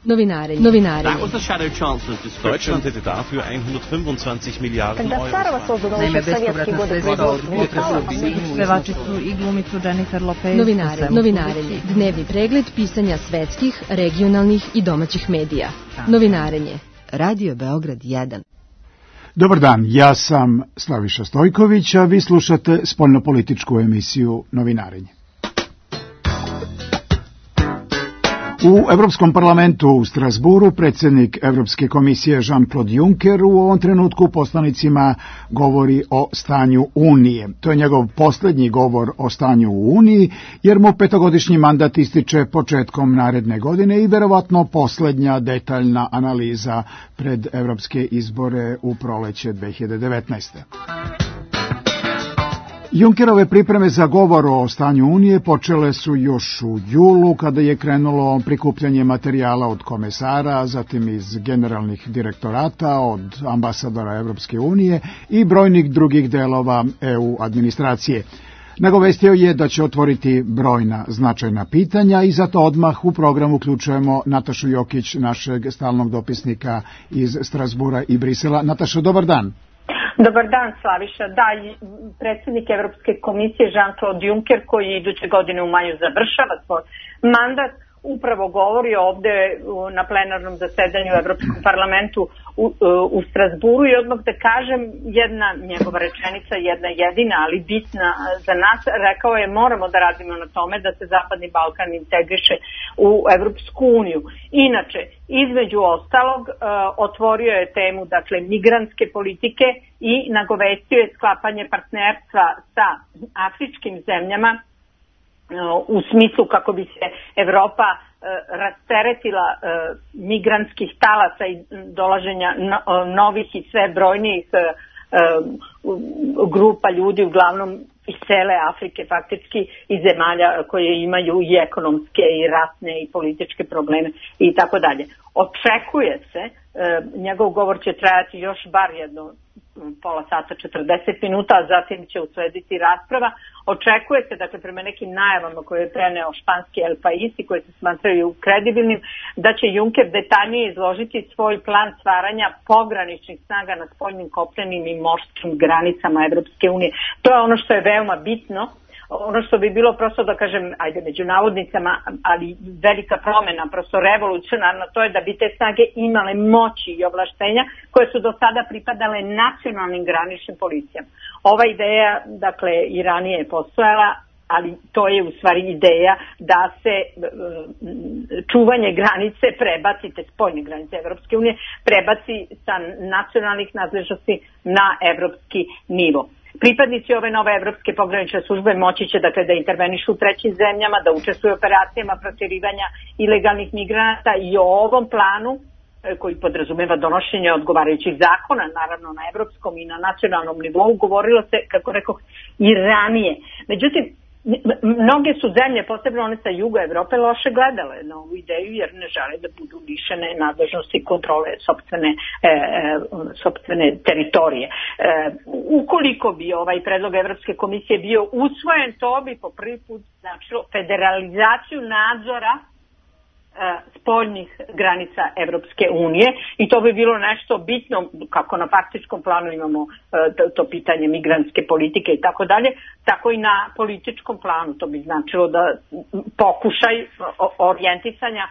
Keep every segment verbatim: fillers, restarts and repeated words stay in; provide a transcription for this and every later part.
Novinarenje. Novinarenje. That was the Shadow Chancellor's description. Deutschland hätte dafür hundertfünfundzwanzig Milliarden Euro. Naime, bespovratna sredstva od pevačicu i glumicu Jennifer Lopez. Novinarenje. Novinarenje. Dnevni pregled pisanja svetskih, regionalnih i domaćih medija. Novinarenje. Radio Beograd jedan. Dobar dan, ja sam Slaviša Stojković, a vi slušate spoljnopolitičku emisiju Novinarenje. U Evropskom parlamentu u Strasburu predsjednik Evropske komisije Jean-Claude Juncker u ovom trenutku poslanicima govori o stanju Unije. To je njegov posljednji govor o stanju u Uniji, jer mu petogodišnji mandat ističe početkom naredne godine i verovatno posljednja detaljna analiza pred evropske izbore u proleće dve hiljade devetnaeste. Junckerove pripreme za govor o stanju Unije počele su još u julu, kada je krenulo prikupljanje materijala od komesara, zatim iz generalnih direktorata, od ambasadora Evropske unije i brojnih drugih delova E U administracije. Nagovestio je da će otvoriti brojna značajna pitanja i zato odmah u program uključujemo Natašu Jokić, našeg stalnog dopisnika iz Strasbura i Brisela. Nataša, dobar dan. Dobar dan, Slaviša. Da, predsjednik Evropske komisije Jean-Claude Juncker, koji iduće godine u maju završava svoj mandat, upravo govori ovde na plenarnom zasedanju u Evropskom parlamentu u, u Strasburu i odmah da kažem, jedna njegova rečenica, jedna jedina, ali bitna za nas, rekao je moramo da radimo na tome da se Zapadni Balkan integriše u Evropsku uniju. Inače, između ostalog, otvorio je temu, dakle, migrantske politike i nagovestio je sklapanje partnerstva sa afričkim zemljama u smislu kako bi se Evropa e, rasteretila e, migrantskih talaca i dolaženja no, novih i sve brojnijih e, grupa ljudi, uglavnom iz cele Afrike faktički, i zemalja koje imaju i ekonomske i ratne i političke probleme i tako dalje. Očekuje se, e, njegov govor će trajati još bar jedno pola sata, četrdeset minuta, a zatim će uslediti rasprava. Očekuje se, dakle, prema nekim najavama koje je preneo španski El País i koje se smatraju kredibilnim, da će Juncker detaljnije izložiti svoj plan stvaranja pograničnih snaga na spoljnim, kopnenim i morskim granicama Evropske unije. To je ono što je veoma bitno. Ono što bi bilo prosto, da kažem, ajde među navodnicama, ali velika promjena, prosto revolucionarno, to je da bi te snage imale moći i ovlaštenja koje su do sada pripadale nacionalnim graničnim policijama. Ova ideja, dakle, i ranije je postojala, ali to je u stvari ideja da se čuvanje granice prebaci, te spoljne granice Evropske unije, prebaci sa nacionalnih nadležnosti na evropski nivo. Pripadnici ove nove evropske pogranične službe moći će, dakle, da intervenišu u trećim zemljama, da učestvuju u operacijama protirivanja ilegalnih migranata i o ovom planu, koji podrazumeva donošenje odgovarajućih zakona, naravno na evropskom i na nacionalnom nivou, govorilo se, kako rekoh, i ranije. Međutim, mnoge su zemlje, posebno one sa juga Evrope, loše gledale na ovu ideju jer ne žele da budu lišene nadležnosti kontrole sopstvene, e, sopstvene teritorije. E, ukoliko bi ovaj predlog Evropske komisije bio usvojen, to bi po prvi put značilo federalizaciju nadzora spoljnih granica Evropske unije i to bi bilo nešto bitno, kako na faktičkom planu imamo to, to pitanje migrantske politike i tako dalje, tako i na političkom planu. To bi značilo da pokušaj orijentisanja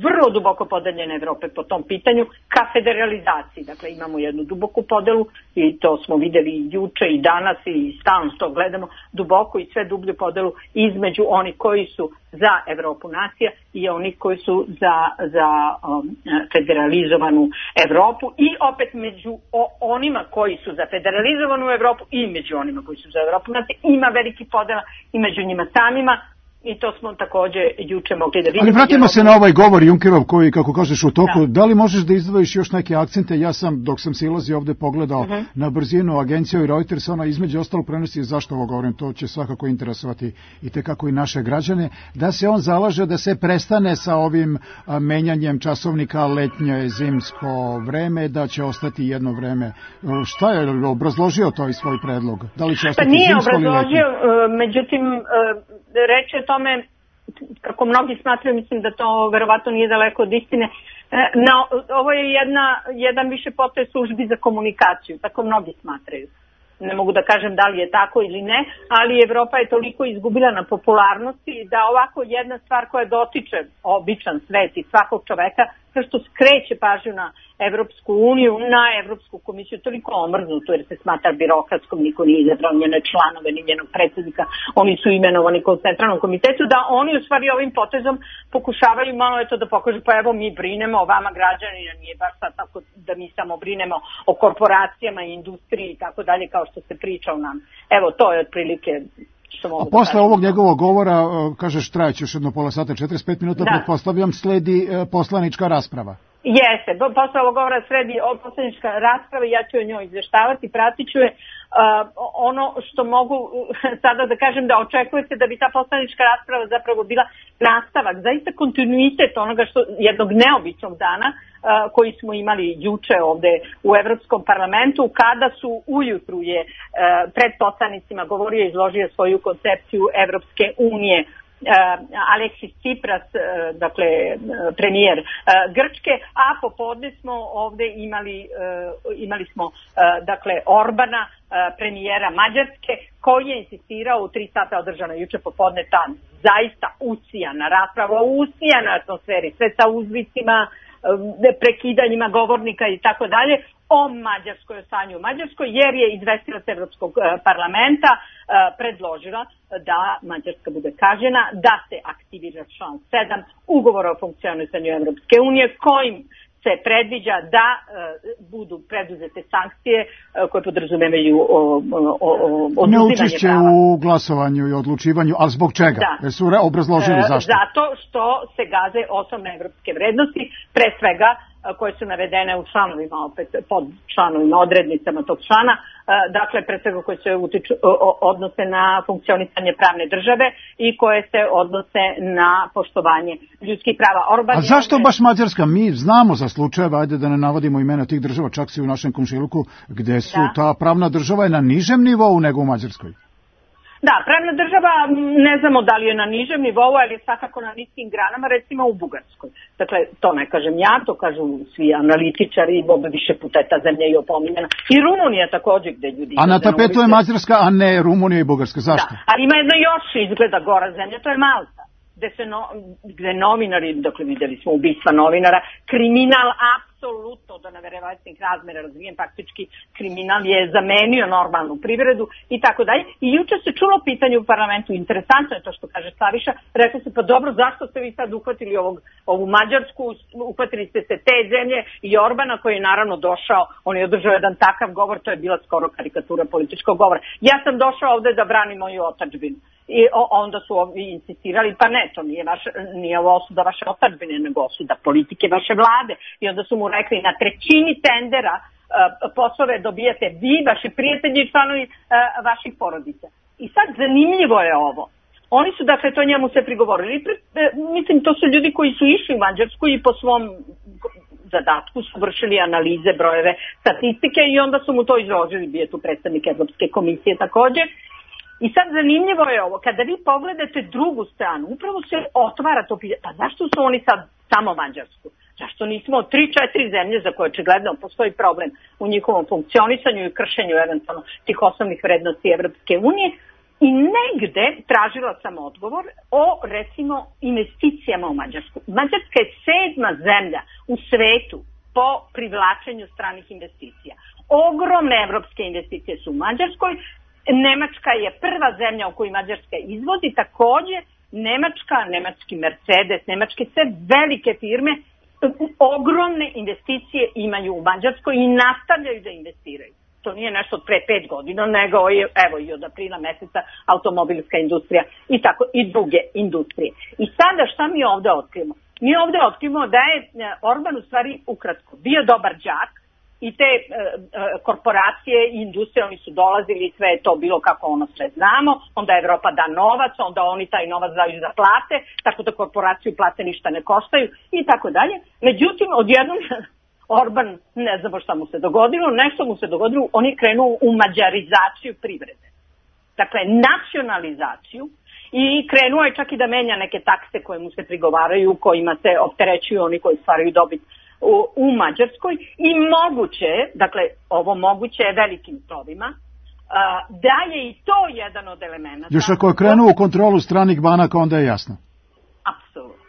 vrlo duboko podeljene Evrope po tom pitanju ka federalizaciji. Dakle, imamo jednu duboku podelu i to smo videli i juče i danas i stalno to gledamo, duboko i sve dublju podelu između onih koji su za Evropu nacija i onih koji su za, za um, federalizovanu Evropu i opet među o, onima koji su za federalizovanu Evropu i među onima koji su za Evropu nacija ima veliki podela i među njima samima. I to smo također juče mogli da vidimo. Ali vratimo se na ovaj govor Junckerov koji, kako kažeš, u toku. Da, da li možeš da izdvojiš još neke akcente? Ja sam, dok sam silazio ovde, pogledao uh-huh. na brzinu agenciju i Reuters, ona između ostalog prenosi, zašto ovo govorim, to će svakako interesovati i tekako i naše građane, da se on zalaže da se prestane sa ovim a, menjanjem časovnika letnje zimsko vreme, da će ostati jedno vreme. Šta je obrazložio to i svoj predlog? Da li će ostati pa nije zimsko ili letnje? obrazložio, međutim, reč je o tome kako mnogi smatraju, mislim da to verovatno nije daleko od istine, no, ovo je jedna, jedan više potez službi za komunikaciju, tako mnogi smatraju. Ne mogu da kažem da li je tako ili ne, ali Evropa je toliko izgubila na popularnosti da ovako jedna stvar koja dotiče običan svet i svakog čoveka, što skreće pažnju na Evropsku uniju, na Evropsku komisiju, toliko omrznuto jer se smatra birokratskom, niko nije izabrao njene članove, ni njenog predsjednika, oni su imenovani kao centralnom komitetu, da oni u stvari ovim potezom pokušavaju malo eto da pokažu, pa evo mi brinemo o vama građanina, nije baš sad tako da mi samo brinemo o korporacijama i industriji i tako dalje kao što se priča o nam. Evo to je otprilike. A posle ovog njegovog govora, kažeš, trajeće još jedno pola sata, četrdeset pet minuta, da. Pretpostavljam, sledi poslanička rasprava. Jeste, posle ovog govora sledi poslanička rasprava i ja ću o njoj izveštavati, pratit ću je. Uh, ono što mogu sada da kažem da očekuje se da bi ta poslanička rasprava zapravo bila nastavak, zaista kontinuitet onoga što jednog neobičnog dana uh, koji smo imali juče ovde u Evropskom parlamentu, kada su ujutru je uh, pred poslanicima govorio i izložio svoju koncepciju Evropske unije Uh, Aleksis Tsipras, uh, dakle uh, premijer uh, Grčke, a popodne smo ovde imali uh, imali smo uh, dakle Orbana, uh, premijera Mađarske, koji je insistirao u tri sata održana juče popodne ta zaista usijana rasprava, usijana atmosferi, sve sa uzvicima, prekidanjima govornika i tako dalje, o Mađarskoj, o stanju u Mađarskoj, jer je izvestilac Evropskog parlamenta predložila da Mađarska bude kažnjena, da se aktivira član sedam ugovora o funkcionisanju Evropske unije, kojim se predviđa da e, budu preduzete sankcije e, koje podrazumevaju oduzimanje neučešće u glasovanju i odlučivanju, ali zbog čega? Da. Jesu obrazložili zašto? Zato što se gaze osnovne evropske vrednosti, pre svega koje su navedene u članovima, opet pod članovima, odrednicama tog člana, dakle, pre svega koje se utiču, odnose na funkcionisanje pravne države i koje se odnose na poštovanje ljudskih prava. Orban A zašto baš Mađarska? Mi znamo za slučajeve, ajde da ne navodimo imena tih država, čak si u našem komšiluku, gde su da. ta pravna država je na nižem nivou nego u Mađarskoj. Da, pravna država ne znamo da li je na nižem nivou, ali je svakako na niskim granama, recimo u Bugarskoj. Dakle, to ne kažem ja, to kažu svi analitičari, bobe više puta je ta zemlja i opominjena. I Rumunija također gde ljudi... A na tapetu je Mađarska, a ne Rumunija i Bugarska. Zašto? Da, ali ima jedna još izgleda gora zemlja, to je Malta. Gde se no, gde novinari, dakle videli smo ubistva novinara, kriminal apsolutno do neverovatnih razmera razvijen, faktički kriminal je zamenio normalnu privredu i tako dalje. I juče se čulo pitanje u parlamentu, interesantno je to što kaže Slaviša, rekao se pa dobro, zašto ste vi sad uhvatili ovog, ovu Mađarsku, uhvatili ste se te zemlje i Orbana koji je naravno došao, on je održao jedan takav govor, to je bila skoro karikatura političkog govora. Ja sam došao ovde da branim moju otadžbinu. I onda su ovi insistirali, pa ne, to nije, vaš, nije ovo osuda vaše otadžbine, nego osuda politike vaše vlade. I onda su mu rekli, na trećini tendera uh, poslove dobijate vi, vaši prijatelji i članovi uh, vaših porodica. I sad zanimljivo je ovo. Oni su, dakle, to njemu se prigovorili. Uh, mislim, to su ljudi koji su išli u Mađarsku i po svom zadatku su vršili analize, brojeve, statistike i onda su mu to izložili, bio tu predstavnik Evropske komisije također. I sad zanimljivo je ovo, kada vi pogledate drugu stranu, upravo se otvara to pitanje, pa zašto su oni sad samo Mađarsku? Zašto nismo tri, četiri zemlje za koje očigledno postoji problem u njihovom funkcionisanju i kršenju eventualno tih osnovnih vrednosti Evropske unije? I negde tražila sam odgovor o, recimo, investicijama u Mađarsku. Mađarska je sedma zemlja u svetu po privlačenju stranih investicija. Ogromne evropske investicije su u Mađarskoj. Nemačka je prva zemlja u kojoj Mađarska izvozi, također Nemačka, nemački Mercedes, nemačke sve velike firme ogromne investicije imaju u Mađarskoj i nastavljaju da investiraju. To nije nešto od pre pet godina, nego je, evo i od aprila meseca automobilska industrija i tako i druge industrije. I sada šta mi ovde otkrivamo? Mi ovde otkrivamo da je Orban u stvari ukratko bio dobar đak, i te e, e, korporacije i industrije, oni su dolazili i sve je to bilo kako ono sve znamo, onda Evropa da novac, onda oni taj novac daju za plate, tako da korporaciju plate ništa ne koštaju i tako dalje. Međutim, odjednom Orban, ne znamo šta mu se dogodilo, nešto mu se dogodilo, on je krenuo u mađarizaciju privrede. Dakle, nacionalizaciju i krenuo je čak i da menja neke takse koje mu se prigovaraju, kojima se opterećuju oni koji stvaraju dobit u, u Mađarskoj i moguće, dakle ovo moguće je velikim slovima, da je i to jedan od elementa. Još ako je krenuo u kontrolu stranih banaka, onda je jasno. Apsolutno.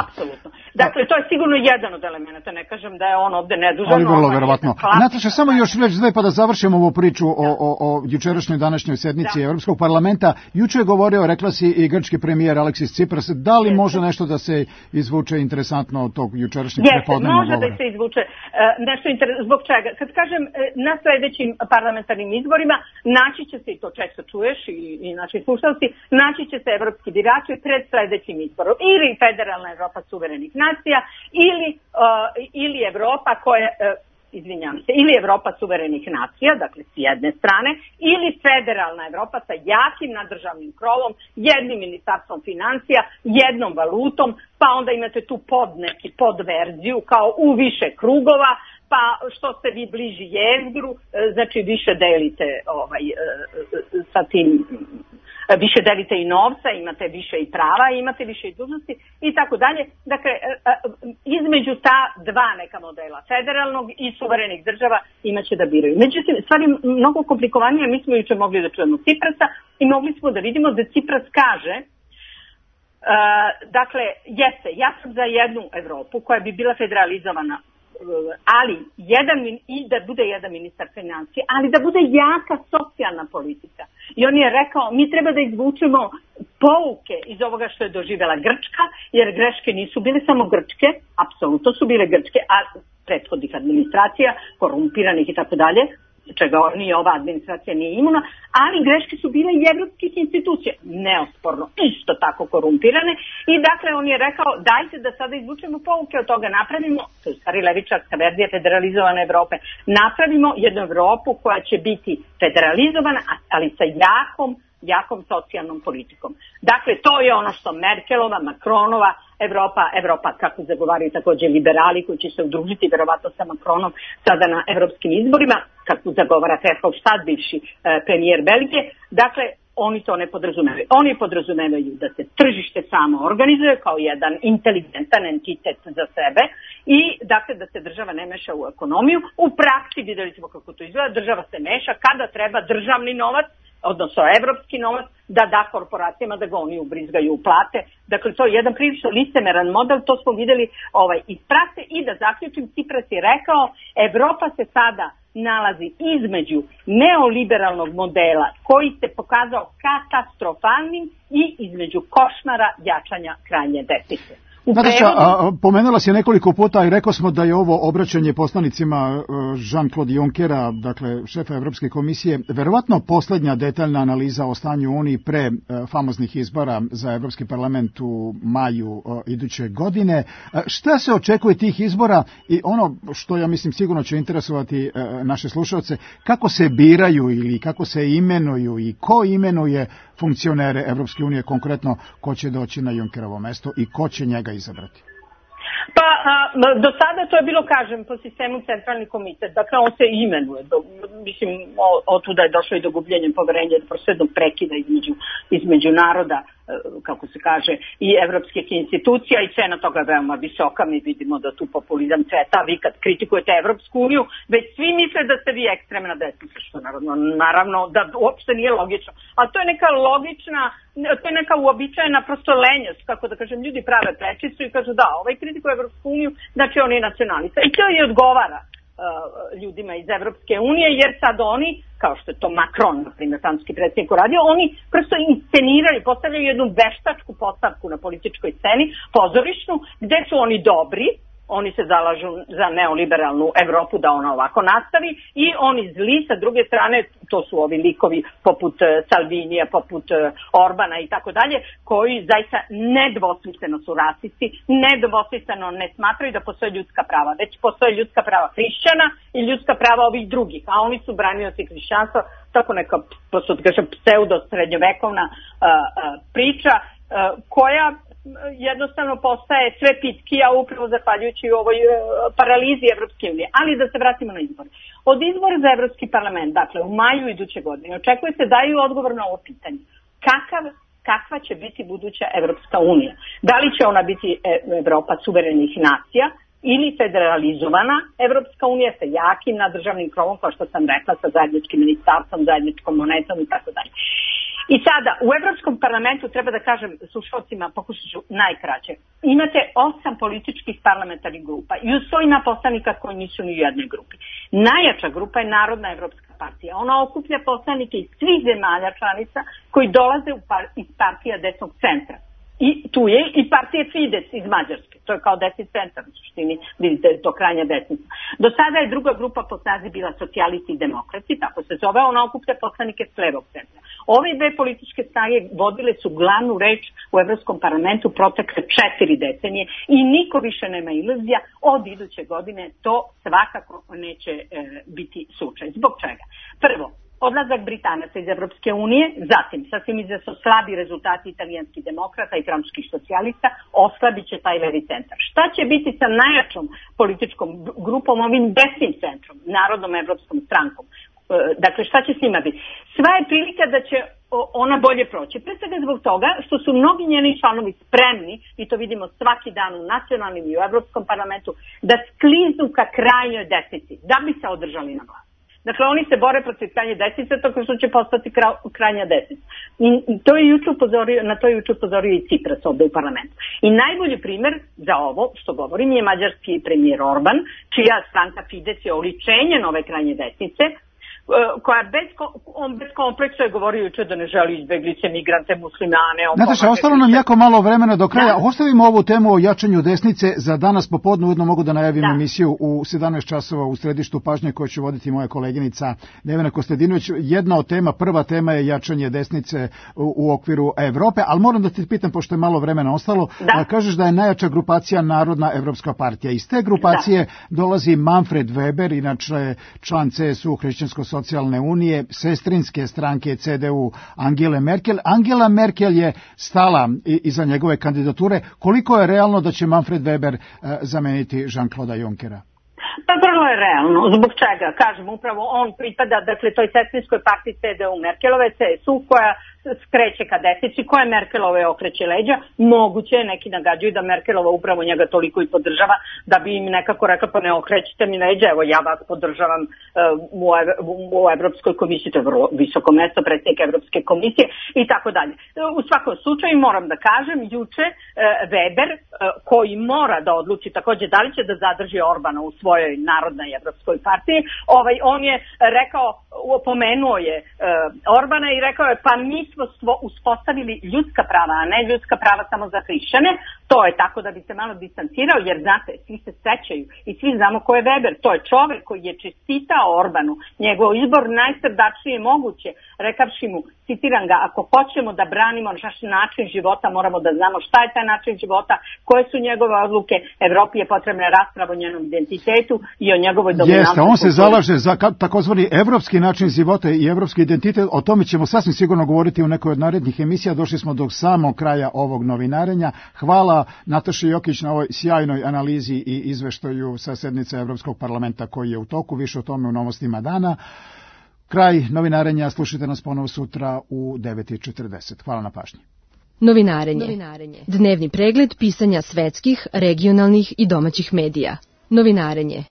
Apsolutno. Dakle, to je sigurno jedan od elementa, ne kažem da je on ovde nedužan. Ali vrlo verovatno. Nataša, samo još reći dve pa da završimo ovu priču o, o, o jučerašnjoj današnjoj sednici da. Evropskog parlamenta. Juče je govorio, rekla si i grčki premijer Aleksis Tsipras, da li može nešto da se izvuče interesantno od tog jučerašnjeg prepodnevnog govora? Može da se izvuče uh, nešto interesantno. Zbog čega? Kad kažem uh, na sledećim parlamentarnim izborima, naći će se, i to često čuješ i, i naši slušalci, naći će se evropski birači pred sledećim izborom. Ili federalna Evropa suverenih nacija ili, uh, ili Evropa koja, uh, izvinjam se, ili Evropa suverenih nacija, dakle s jedne strane, ili federalna Evropa sa jakim nadržavnim krovom, jednim ministarstvom financija, jednom valutom, pa onda imate tu pod neki podverziju kao u više krugova, pa što ste vi bliži jezgru, znači više delite ovaj, sa tim, više delite i novca, imate više i prava, imate više i dužnosti i tako dalje. Dakle, između ta dva neka modela, federalnog i suverenih država, imaće da biraju. Međutim, stvari mnogo komplikovanije, mi smo juče mogli da čujemo Tsiprasa i mogli smo da vidimo da Tsipras kaže, uh, dakle, jeste, ja sam za jednu Evropu koja bi bila federalizovana, ali jedan, i da bude jedan ministar financije, ali da bude jaka socijalna politika. I on je rekao, mi treba da izvučemo pouke iz ovoga što je doživjela Grčka, jer greške nisu bile samo grčke, apsolutno su bile grčke, a prethodnih administracija, korumpiranih i tako dalje, čega ni ova administracija nije imuna, ali greške su bile i evropskih institucija, neosporno, isto tako korumpirane, i dakle on je rekao, dajte da sada izvučemo pouke od toga, napravimo, to je stari levičarska verzija federalizovane Evrope, napravimo jednu Evropu koja će biti federalizovana, ali sa jakom, jakom socijalnom politikom. Dakle, to je ono što Merkelova, Macronova, Evropa, Evropa kako zagovaraju takođe liberali koji će se udružiti verovatno sa Macronom sada na evropskim izborima, kako zagovara Verhofstadt, bivši e, premijer Belgije. Dakle, oni to ne podrazumevaju. Oni podrazumevaju da se tržište samo organizuje kao jedan inteligentan entitet za sebe i dakle da se država ne meša u ekonomiju. U praksi videli smo kako to izgleda, država se meša kada treba državni novac, odnosno evropski novac, da da korporacijama da ga oni ubrizgaju u plate. Dakle, to je jedan prilično licemeran model, to smo videli ovaj, iz prakse i da zaključim, Tsipras je rekao, Evropa se sada nalazi između neoliberalnog modela koji se pokazao katastrofalnim i između košmara jačanja krajnje desnice. Nataša, pomenula si nekoliko puta i rekao smo da je ovo obraćanje poslanicima Jean-Claude Junckera, dakle šefa Evropske komisije, verovatno poslednja detaljna analiza o stanju Uniji pre famoznih izbora za Evropski parlament u maju iduće godine. Šta se očekuje tih izbora i ono što ja mislim sigurno će interesovati naše slušalce, kako se biraju ili kako se imenuju i ko imenuje funkcionere Evropske unije, konkretno ko će doći na Junckerovo mesto i ko će njega izabrati? Pa, a, do sada to je bilo, kažem, po sistemu centralni komitet. Dakle, on se imenuje. Do, mislim, od tuda je došlo i do gubljenja poverenja, do proslednog prekida između, između naroda, kako se kaže, i evropskih institucija i cena toga je veoma visoka. Mi vidimo da tu populizam cveta. Vi kad kritikujete Evropsku uniju, već svi misle da ste vi ekstremna desnica, što naravno, naravno da uopšte nije logično. A to je neka logična, to je neka uobičajena prosto lenjost, kako da kažem, ljudi prave prečicu i kažu da, ovaj kritikuje Evropsku uniju, znači on je nacionalista. I to i odgovara ljudima iz Evropske unije, jer sad oni, kao što je to Macron, na primjer, francuski predsjednik uradio, oni prosto insceniraju, postavljaju jednu veštačku postavku na političkoj sceni, pozorišnu, gde su oni dobri, oni se zalažu za neoliberalnu Evropu da ona ovako nastavi i oni zli sa druge strane, to su ovi likovi poput Salvinija, poput Orbana i tako dalje, koji zaista nedvosmisleno su rasisti, nedvosmisleno ne smatraju da postoje ljudska prava, već postoje ljudska prava hrišćana i ljudska prava ovih drugih, a oni su branioci hrišćanstva, tako neka pseudo srednjovekovna uh, uh, priča uh, koja jednostavno postaje sve pitkija upravo zahvaljujući ovoj uh, paralizi Evropske unije. Ali da se vratimo na izbor. Od izbora za Evropski parlament, dakle u maju iduće godine, očekuje se daju odgovor na ovo pitanje. Kakav kakva će biti buduća Evropska unija. Da li će ona biti Evropa suverenih nacija ili federalizovana Evropska unija sa jakim nadržavnim krovom, kao što sam rekla, sa zajedničkim ministarstvom, zajedničkom monetom i tako dalje. I sada, u Evropskom parlamentu, treba da kažem slušalcima, pokušat ću najkraće, imate osam političkih parlamentarnih grupa i usvojena poslanika koji nisu ni u jednoj grupi. Najjača grupa je Narodna evropska partija. Ona okuplja poslanike iz svih zemalja članica koji dolaze iz partija desnog centra. I tu je i partije Fides iz Mađarske. To je kao desni centar, u suštini, vidite, to krajnja desnica. Do sada je druga grupa po snazi bila socijalisti i demokrati, tako se zove, ona okuplja poslanike s levog centra. Ove dve političke snage vodile su glavnu reč u Evropskom parlamentu protekle četiri decenije i niko više nema iluzija, od iduće godine to svakako neće e, biti slučaj. Zbog čega? Prvo, odlazak Britanaca iz Evropske unije, zatim sasvim izvesno slabi rezultati italijanskih demokrata i francuskih socijalista, oslabit će taj levi centar. Šta će biti sa najjačom političkom grupom, ovim desnim centrom, Narodnom evropskom strankom? Dakle, šta će s njima biti? Sva je prilika da će ona bolje proći. Pre svega zbog toga što su mnogi njeni članovi spremni, i to vidimo svaki dan u nacionalnim i u Evropskom parlamentu, da skliznu ka krajnjoj desnici, da bi se održali na vlasti. Dakle, oni se bore protiv krajnje desnice, tako što će postati krajnja desnica. I to je juče upozorio, na to je juče upozorio i Cipras ovde u parlamentu. I najbolji primer za ovo, što govorim, je mađarski premijer Orban, čija stranka Fides je oličenje nove krajnje desnice, koja bez, on bez kompleksa je govorio juče da ne želi izbeglice, migrante, muslimane. Nataša, ostalo nam jako malo vremena do kraja. Da. Ostavimo ovu temu o jačanju desnice za danas popodne. Ujedno mogu da najavim da. emisiju u sedamnaest časova u središtu pažnje koju će voditi moja koleginica Nevena Kostadinović. Jedna od tema, prva tema je jačanje desnice u, u okviru Evrope, ali moram da te pitam, pošto je malo vremena ostalo, da. kažeš da je najjača grupacija Narodna evropska partija. Iz te grupacije da. dolazi Manfred Weber, inače član C S U, Hrišćansko socijalne unije, sestrinske stranke C D U Angele Merkel. Angela Merkel je stala iza njegove kandidature. Koliko je realno da će Manfred Weber zameniti Jean-Claude Junckera? Pa vrlo je realno. Zbog čega? Kažem, upravo on pripada, dakle, toj sestrinskoj partiji C D U Merkelove, C S U, koja skreće ka desnici, koja Merkelove okreće leđa. Moguće je, neki nagađaju da Merkelova upravo njega toliko i podržava, da bi im nekako rekla, pa ne okrećite mi leđa, evo ja vas podržavam uh, u, u Evropskoj komisiji, to je vrlo visoko mesto, predsjednik Evropske komisije i tako dalje. U svakom slučaju moram da kažem, juče uh, Weber, uh, koji mora da odluči takođe da li će da zadrži Orbana u svojoj Narodnoj evropskoj partiji, ovaj, on je rekao, opomenuo je uh, Orbana i rekao je, pa mi smo uspostavili ljudska prava, a ne ljudska prava samo za hrišćane. To je tako da bi se malo distancirao, jer znate, svi se sećaju i svi znamo ko je Weber. To je čovek koji je čestitao Orbanu, njegov izbor najsrdačnije moguće, rekavši mu, citiram ga, ako hoćemo da branimo naš način života, moramo da znamo šta je taj način života, koje su njegove odluke. Evropi je potrebna rasprava o njenom identitetu i o njegovoj dominantnosti. Jeste, on se zalaže za takozvani evropski način života i evropski identitet. O tome ćemo sasvim sigurno govoriti u nekoj od narednih emisija. Došli smo do samog kraja ovog novinarenja. Hvala Nataši Jokić na ovoj sjajnoj analizi i izveštaju sa sednice Evropskog parlamenta koji je u toku. Više o tome u Novostima dana. Kraj novinarenja, slušajte nas ponovo sutra u devet i četrdeset. Hvala na pažnji. Novinarenje. Novinarenje. Dnevni pregled pisanja svetskih, regionalnih i domaćih medija. Novinarenje.